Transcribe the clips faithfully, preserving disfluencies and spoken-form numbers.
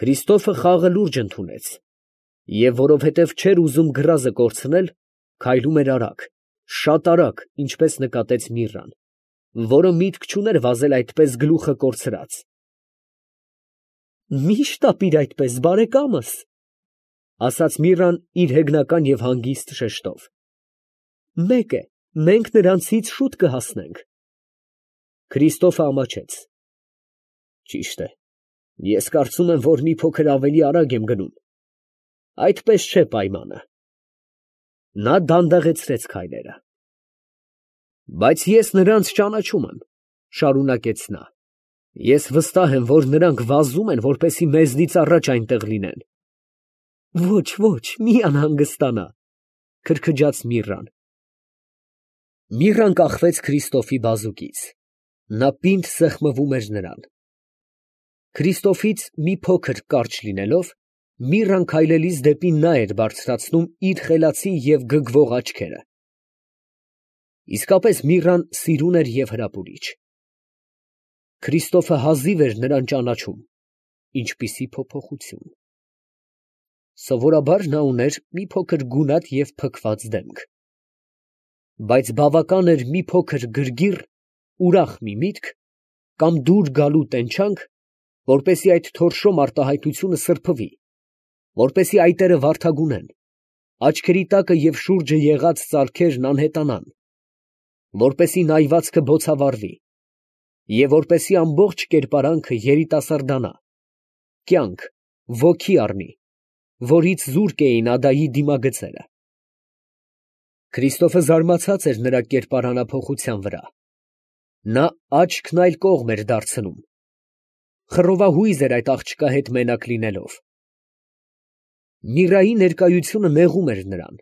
Քրիստոֆը խաղը լուրջ ընդունեց, և որովհետև չէր ուզում գրազը կորցնել, քայլում էր արագ, շատ արագ, ինչպես նկատեց Միրրան, որը միտք չուներ վազել այդպես գլուխը կորցրած։ ֊ Մի՛ շտապիր այդպես, բարեկամս, ֊ ասաց Միրրան իր հեգնական և հանգիստ շեշտով. մեկ է, մենք նրանցից շուտ կհասնենք։ Քրիստոֆը ամաչեց. ճիշտ է, ես կարծում եմ, որ մի փոքր ավելի արագ եմ գնում, այդպես չէ պայմանը։ Նա դանդաղեցրեց քայլերը։ Բայց ես նրանց ճանաչում եմ, ֊ շարունակեց նա. ես վստահ եմ, որ նրանք վազում են, որպեսզի մեզնից առաջ այնտեղ լինեն։ Ոչ, ոչ, մի անհանգստանա, ֊ քրքջաց Միրրան։ Միրրան կախվեց Քրիստոֆի բազուկից. նա պինդ սեղմվում էր նրան։ Քրիստոֆից մի փոքր կարճ լինելով, Միրրան քայլելիս դեպի նա էր բարձրացնում իր խելացի և գգվող աչքերը։ Իսկապես Միրրան սիրուն էր և հրապուրիչ։ Քրիստոֆը հազիվ էր նրան ճանաչում. ինչպիսի փոփոխություն… Սովորաբար նա ուներ մի փոքր գունատ և փքված դեմք, բայց բավական էր մի փոքր գրգիռ, ուրախ մի միտք, կամ դուր գալու տենչանք, որպեսզի այդ թորշո մարտահայտությունը սրբվի, որպեսզի այտերը վարդագունեն, աչքերի տակը և շուրջը եղած ծալքերն անհետանան, որպեսզի նայվածքը բոցավառվի, և որպեսզի ամբողջ կերպարանքը երիտասարդանա, կյանք, ոգի առնի, որից զուրկ էին ադայի դիմագծերը։ Քրիստոֆը զարմացած էր նրա կերպարանափոխության վրա. նա աչքն այլ կողմ էր դարձնում, խռովահույզ էր այդ աղջկա հետ մենակ լինելով։ Միրրայի ներկայությունը նեղում էր նրան,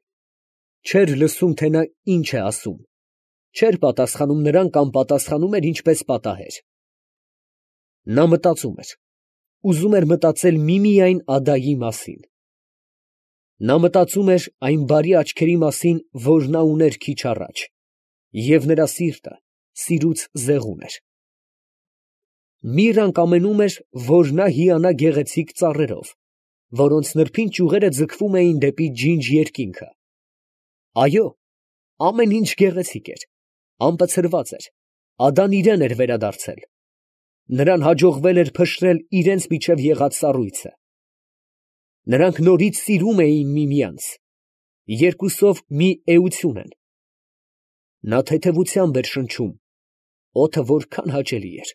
չէր լսում, թե նա ինչ է ասում, չէր պատասխանում նրան կամ պատասխանում էր ինչպես պատահեր։ Նա մտածում էր, ուզում էր մտածել միմիայն ադայի մասին։ Նա մտածում էր այն բարի աչքերի մասին, որ նա ուներ քիչ առաջ, և նրա սիրտը սիրուց զեղում էր։ Միրրան կամենում էր, որ նա հիանա գեղեցիկ ծառերով, որոնց նրբին ճյուղերը ձգվում էին դեպի ջինջ երկինքը։ Այո, ամեն ինչ գեղեցիկ էր, ամպցրված էր, ադան իրան էր վերադարձել, նրան հաջողվել էր փշրել իրենց միջև եղած սառույցը։ Նրանք նորից սիրում էին միմյանց, երկուսով մի էություն են։ Նա թեթևությամբ էր շնչում, օդը որքան հաճելի էր։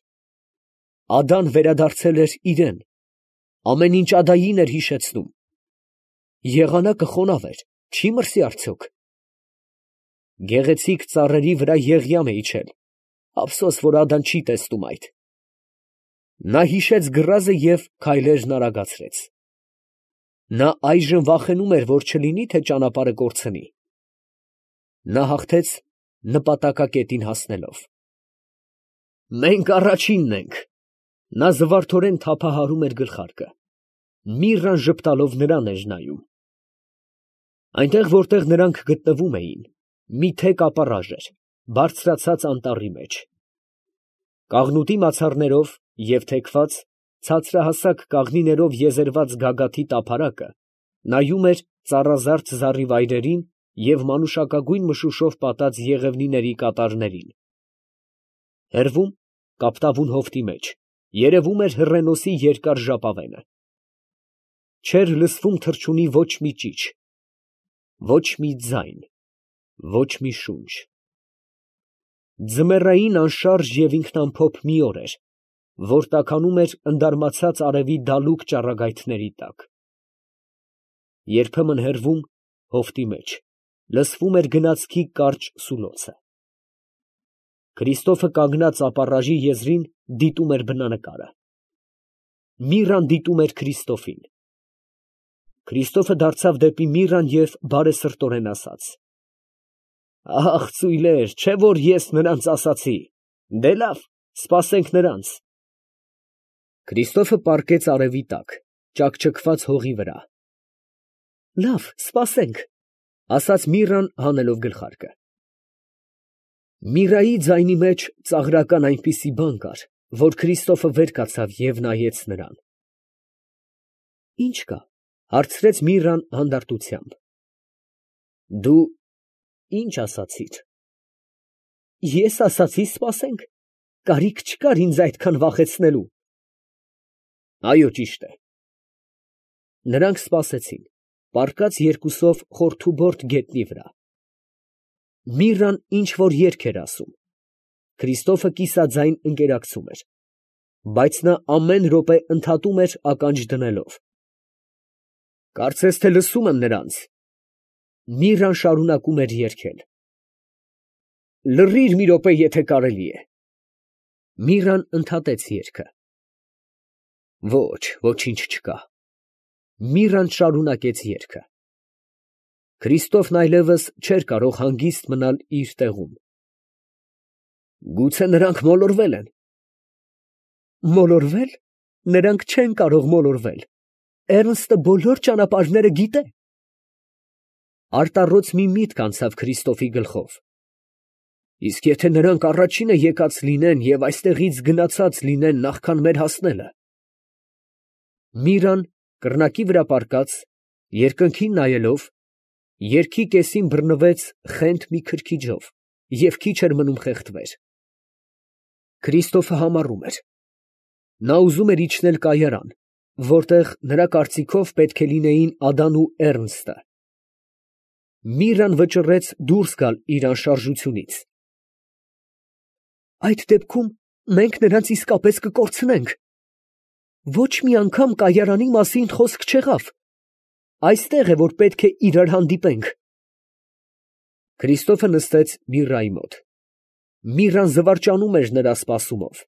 Ադան վերադարձել էր իրան, ամեն ինչ ադային էր հիշեցնում։ Եղանակը խոնավ էր, չի՞ մրսի արդյոք։ Գեղեցիկ ծառերի վրա Եղիամ է իջել, ափսոս, որ ադան չի տեսնում այդ։ Նա հիշեց գռազը և քայլերն արագացրեց։ Նա այժմ վախենում էր, որ չլինի, թե ճանապարհը կորցնի։ Նա հաղթեց նպատակակետին հասնելով։ Մենք առաջինն ենք, ֊ նա զվարթորեն թափահարում էր գլխարկը։ Միրրան ժպտալով նրան էր նայում։ Այնտեղ, որտեղ նրանք գտնվում էին, մի թեք ապառաժ էր, բարձրացած անտառի մեջ։ Կաղնուտի մացառներով և թեքված, ցածրահասակ կաղնիներով եզերված գագաթի տափարակը նայում էր ծառազարդ զառիվայրերին և մանուշակագույն մշուշով պատած եղևնիների կատարներին։ Հեռվում, կապտավուն հովտի մեջ, երևում էր հռենոսի երկար ժապավենը։ Չէր լսվում թռչունի ոչ մի ճիչ, ոչ մի ձայն, ոչ մի շունչ։ Ձմեռային անշարժ և ինքնամփոփ մի օր էր, որ տաքանում էր ընդարմացած արևի դալուկ ճառագայթների տակ։ Երբեմն հեռվում, հովտի մեջ, լսվում էր գնացքի կարճ սուլոցը։ Քրիստոֆը կանգնած ապառաժի եզրին դիտում էր բնանկարը։ Միրրան դիտում էր Քրիստոֆին։ Քրիստոֆը դարձավ դեպի Միրրան և բարեսրտորեն ասաց. ֊ Ա՜խ, ծույլեր, չէ՞ որ ես նրանց ասացի. դե լավ, սպասենք նրանց։ Քրիստոֆը պառկեց արևի տակ, ճաքճքված հողի վրա։ ֊ Լավ, սպասենք, ֊ ասաց Միրրան հանելով գլխարկը։ Միրրայի ձայնի մեջ ծաղրական այնպիսի բան կար, որ Քրիստոֆը վեր կացավ և նայեց նրան։ Ի՞նչ կա, հարցրեց Միրրան հանդարտությամբ։ Դու ի՞նչ ասացիր։ Ես ասացի սպասենք, կարիք չկար ինձ այդքան վախեցնելու։ Այո, ճիշտ է։ Նրանք սպասեցին, պառկած երկուսով խորթուբորդ գետնի վրա։ Միրրան ինչ որ երգ էր ասում, Քրիստոֆը կիսաձայն ընկերակցում էր, բայց նա ամեն րոպե ընդհատում էր ականջ դնելով։ Կարծես թե լսում եմ նրանց։ Միրրան շարունակում էր երգել։ Լռիր մի րոպե, եթե կարելի է։ Միրրան ընդհատեց երգը։ Ոչ, ոչինչ չկա։ Միրրան շարունակեց երգը։ Քրիստոֆն այլևս չէր կարող հանգիստ մնալ իր տեղում։ Գուցե նրանք մոլորվել են։ Մոլորվել։ Նրանք չեն կարող մոլորվել։ Էռնստը բոլոր ճանապարհները գիտե։ Արտառոց մի միտք անցավ Քրիստոֆի գլխով։ Իսկ եթե նրանք առաջինը եկած լինեն և այստեղից գնացած լինեն նախքան մեր հասնելը։ Միրրան կռնակի վրա պառկած, երկնքին նայելով, երգի կեսին բռնվեց խենթ մի քրքիջով և քիչ էր մնում խեղդվեր։ Քրիստոֆը համառում էր։ Նա ուզում էր իջնել կայարան, որտեղ նրա կարծիքով պետք է լինեին Ադան ու Էռնստը։ Միրրան վճռեց դուրս գալ իր անշարժությունից։ Այդ դեպքում մենք նրանց իսկապես կկորցնենք։ Ոչ մի անգամ կայարանի մասին խոսք չեղավ։ Այստեղ է, որ պետք է իրար հանդիպենք։ Քրիստոֆը նստեց Միրրայի մոտ։ Միրրան զվարճանում էր նրա սպասումով։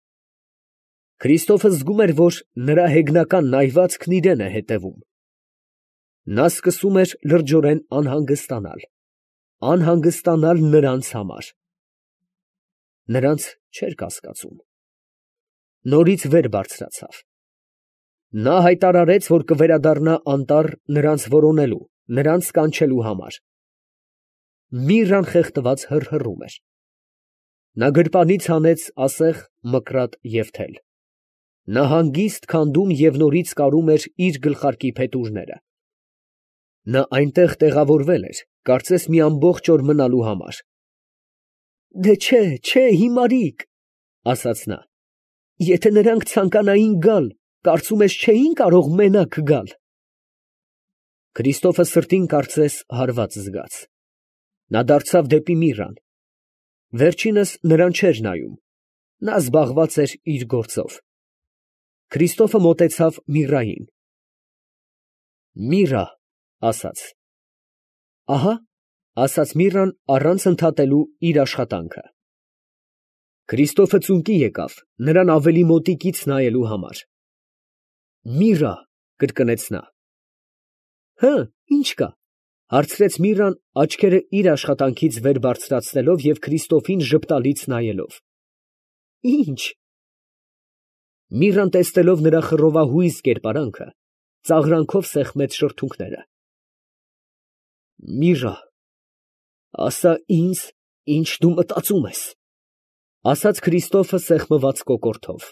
Քրիստոֆը զգում էր, որ նրա հեգնական նայվածքն իրան է հետևում։ Նա սկսում էր լրջորեն անհանգստանալ, անհանգստանալ նրանց համար։ Նրանց չէր կասկածում։ Նորից վեր բարձրացավ։ Նա հայտարարեց, որ կվերադառնա անտառ նրանց որոնելու, նրանց կանչելու համար։ Միրրան խեղդված հռհռում էր։ Նա գրպանից հանեց ասեղ, մկրատ և թել։ Նա հանգիստ քանդում և նորից կարում էր իր գլխարկի փետուրները։ Նա այնտեղ տեղավորվել էր, կարծես մի ամբողջ օր մնալու համար։ Դե չէ, չէ, հիմարիկ, ասաց նա, եթե նրանք ցանկանային գալ, կարծում ես չէին կարող մենակ գալ։ Քրիստոֆը սրտին կարծես հարված զգաց։ Նա դարձավ դեպի Միրրան։ Վերջինս նրան չէր նայում։ Նա զբաղված էր իր գործով։ Քրիստոֆը մոտեցավ Միրրային։ Միրրա, ասաց։ Ահա, ասաց Միրրան առանց ընդհատելու իր աշխատանքը։ Քրիստոֆը ծունկի եկավ, նրան ավելի մոտիկից նայելու համար։ Միրրա, կրկնեց նա։ Հը, ի՞նչ կա, հարցրեց Միրրան, աչքերը իր աշխատանքից վեր բարձրացնելով և Քրիստոֆին ժպտալից նայելով։ Ի՞նչ։ Միրրան տեսնելով նրա խռովահույզ կերպարանքը, ծաղրանքով սեղմեց շրթունքները։ Միրրա, ասա ինձ, ինչ դու մտածում ես, ասաց Քրիստոֆը սեղմված կոկորդով։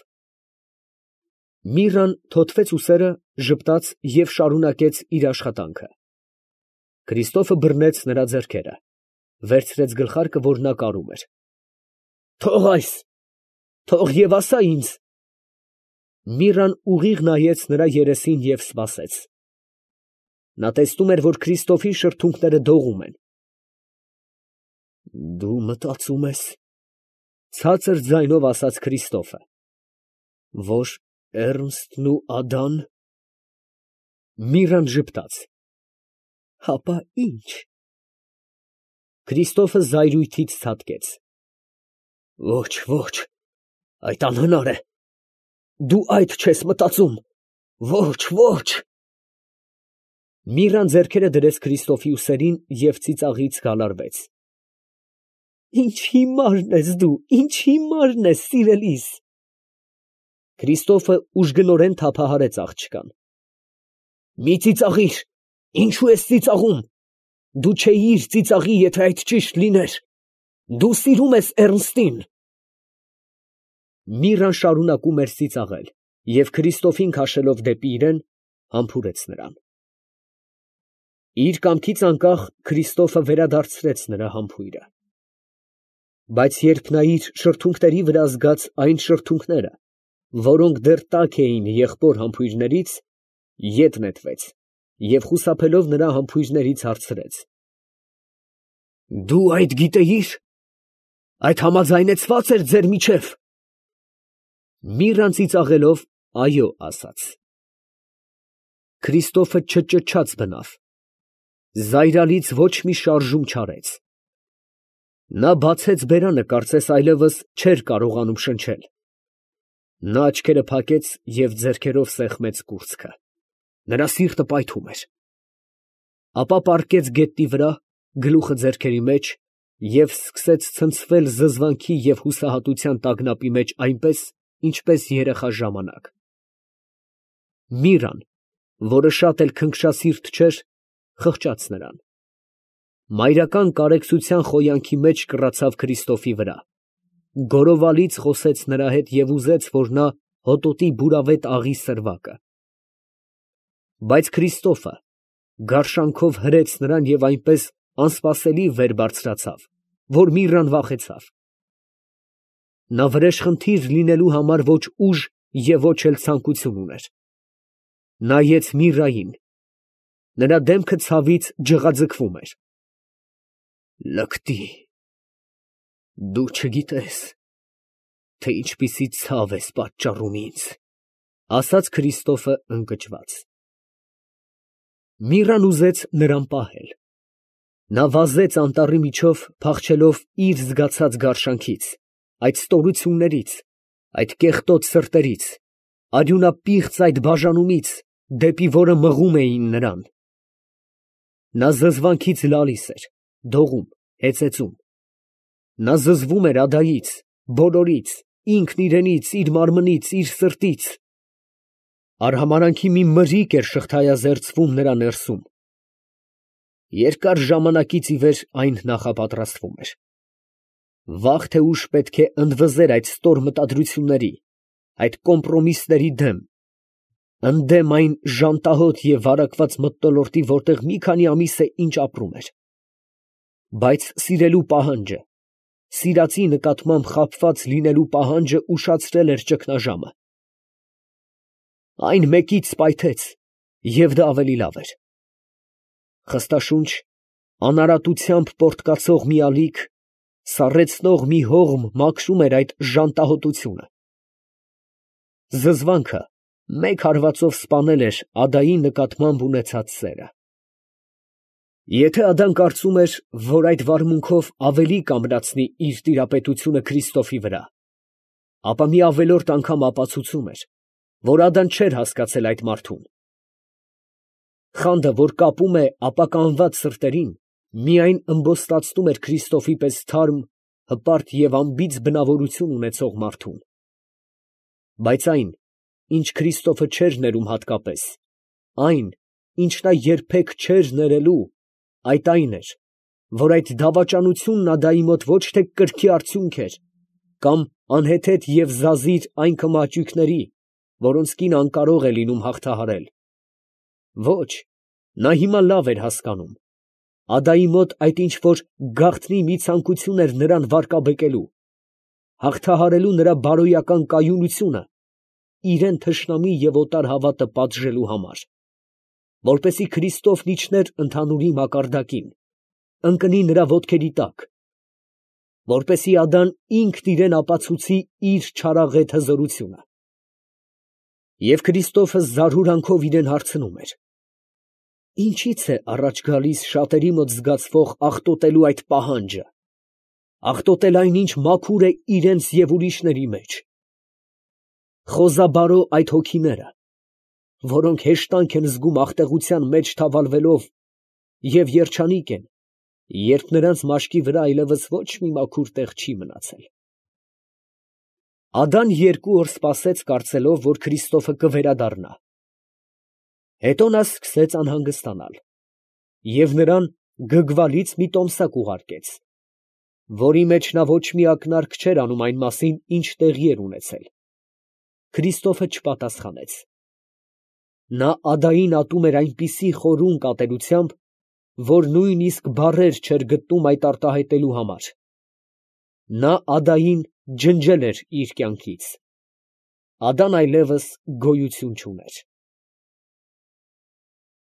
Միրրան թոթվեց ուսերը, ժպտաց և շարունակեց իր աշխատանքը։ Քրիստոֆը բռնեց նրա ձեռքերը, վերցրեց գլխարկը, որ նա կարում էր։ Թող այս, թող և ասա ինձ։ Միրրան ուղիղ նայեց նրա երեսին և սպասեց։ Նա տեսնում էր, որ Քրիստոֆի շրթունքները դողում են։ Դու մտածում ես, ցածր ձայնով ասաց Քրիստոֆը, որ Էռնստն ու Ադան։ Միրրան ժպտաց։ Հապա ի՞նչ։ Քրիստոֆը զայրույթից ցատկեց։ Ոչ, ոչ, այդ անհնար է։ Դու այդ չես մտածում։ Ոչ, ոչ։ Միրրան ձեռքերը դրեց Քրիստոֆի ուսերին և ծիծաղից գալարվեց։ Ինչ հիմարն ես դու, ինչ հիմարն ես, սիրելիս։ Քրիստոֆը ուժգնորեն թափահարեց աղջկան։ Մի ծիծաղիր, ինչու ես ծիծաղում։ Դու չէիր ծիծաղի, եթե այդ ճիշտ լիներ։ Դու սիրում ես Էռնստին։ Միրրան շարունակում էր ծիծաղել և Քրիստոֆին քաշելով դեպի իրեն, համբուրեց նրան։ Իր կամքից անկախ Քրիստոֆը վերադարձրեց նրա համբույրը։ Բայց երբ նա իր շրթունքների վրա զգաց այն շրթունքները, որոնք դեռ տաք էին եղբոր համբույրներից, ետ նետվեց և խուսափելով նրա համբույրներից հարցրեց. «Դու այդ գիտեի՞ր. այդ համաձայնեցվա՞ծ էր ձեր միջև»։ Միրրան ծիծաղելով այո ասաց։ Քրիստոֆը չճչաց բնավ, զայրալից ոչ մի շարժում չարեց։ Նա բացեց բերանը, կարծես այլևս չէր կարողանում շնչել։ Նա աչքերը փակեց և ձեռքերով սեղմեց կուրծքը, նրա սիրտը պայթում էր։ Ապա պառկեց գետնի վրա, գլուխը ձեռքերի մեջ և սկսեց ցնցվել զզվանքի և հուսահատության տագնապի մեջ այնպես, ինչպես երեխա ժամանակ։ Միրրան, որը շատ էլ քնքշասիրտ չէր, խղճաց նրան։ Մայրական կարեկցության խոյանքի մեջ կռացավ Քրիստոֆի վրա, գորովալից խոսեց նրա հետ և ուզեց, որ նա հոտոտի բուրավետ աղի սրվակը։ Բայց Քրիստոֆը գարշանքով հրեց նրան և այնպես անսպասելի վեր բարձրացավ, որ Միրրան վախեցավ։ Նա վրեժխնդիր լինելու համար ոչ ուժ և ոչ էլ ցանկություն ուներ։ Նայեց Միրրային, նրա դեմքը ցավից ջղաձգվում էր։ Լկտի, դու չգիտես, թե ինչպիսի ցավ ես պատճառում ինձ, ֊ ասաց Քրիստոֆը ընկճված։ Միրրան ուզեց նրան պահել։ Նա վազեց անտառի միջով, փախչելով իր զգացած գարշանքից, այդ ստորություններից, այդ կեղտոտ սրտերից, արյունապիղծ այդ բաժանումից, դեպի որը մղում էին նրան։ Նա զզվանքից լալիս էր, դողում, հեծեծում։ Նա զզվում էր ադայից, բոլորից, ինքն իրենից, իր մարմնից, իր սրտից։ Արհամարհանքի մի մրրիկ էր շղթայազերծվում նրա ներսում։ Երկար ժամանակից ի վեր այն նախապատրաստվում էր։ Վաղ թե ուշ պետք է ընդվզեր այդ ստոր մտադրությունների, այդ կոմպրոմիսների դեմ, ընդդեմ այն ժանտահոտ և վարակված մթնոլորտի, որտեղ մի քանի ամիս է ինչ ապրում էր։ Բայց սիրելու պահանջը, սիրածի նկատմամբ խաբված լինելու պահանջը ուշացրել էր ճգնաժամը։ Այն մեկից սպայթեց, և դա ավելի լավ էր։ Խստաշունչ, անարատությամբ պոռթկացող մի ալիք, սառեցնող մի հողմ մաքրում էր այդ ժանտահոտությունը։ Զզվանքը մեկ հարվածով սպանել էր ադայի նկատմամբ ունեցած սերը։ Եթե Ադան կարծում էր, որ այդ վարմունքով ավելի կամրացնի իր տիրապետությունը Քրիստոֆի վրա, ապա մի ավելորդ անգամ ապացուցում էր, որ Ադան չէր հասկացել այդ մարդուն։ Խանդը, որ կապում է ապականված սրտերին, միայն ըմբոստացնում էր Քրիստոֆի պես թարմ, հպարտ և անբիծ բնավորություն ունեցող մարդուն։ Բայց այն, ինչ Քրիստոֆը չէր ներում հատկապես, այն, ինչ նա երբեք չէր ներելու, այդ այն էր, որ այդ դավաճանությունն Ադայի մոտ ոչ թե կրքի արդյունք էր, կամ անհեթեթ և զազիր այն քմահաճույքների, որոնց կինը անկարող է լինում հաղթահարել։ Ոչ, նա հիմա լավ էր հասկանում. Ադայի մոտ այդ ինչ֊որ գաղտնի մի ցանկություն էր նրան վարկաբեկելու, հաղթահարելու նրա բարոյական կայունությունը, իրան թշնամի և օտար հավատը պատժելու համար, որպեսզի Քրիստոֆն իջներ ընդհանուրի մակարդակին, ընկնի նրա ոտքերի տակ, որպեսզի Ադան ինքն իրան ապացուցի իր չարաղետ հզորությունը։ Եվ Քրիստոֆը զարհուրանքով իրան հարցնում էր. ինչի՞ց է առաջ գալիս շատերի մոտ զգացվող աղտոտելու այդ պահանջը, աղտոտել այն, ինչ մաքուր է իրենց և ուրիշների մեջ։ Խոզաբարո այդ հոգիները, որոնք հեշտանք են զգում աղտեղության մեջ թավալվելով և երջանիկ են, երբ նրանց մաշկի վրա այլևս ոչ մի մաքուր տեղ չի մնացել։ Ադան երկու օր սպասեց, կարծելով, որ Քրիստոֆը կվերադառնա։ Հետո նա սկսեց անհանգստանալ և նրան գգվալից մի տոմսակ ուղարկեց, որի մեջ նա ոչ մի ակնարկ չէր անում այն մասին, ինչ տեղի էր ունեցել։ Քրիստոֆը չպատասխանեց։ Նա ադային ատում էր այնպիսի խորուն կատելությամբ, որ նույնիսկ բառեր չէր գտնում այդ արտահայտելու համար. նա ադային ջնջել էր իր կյանքից. ադան այլևս գոյություն չուներ։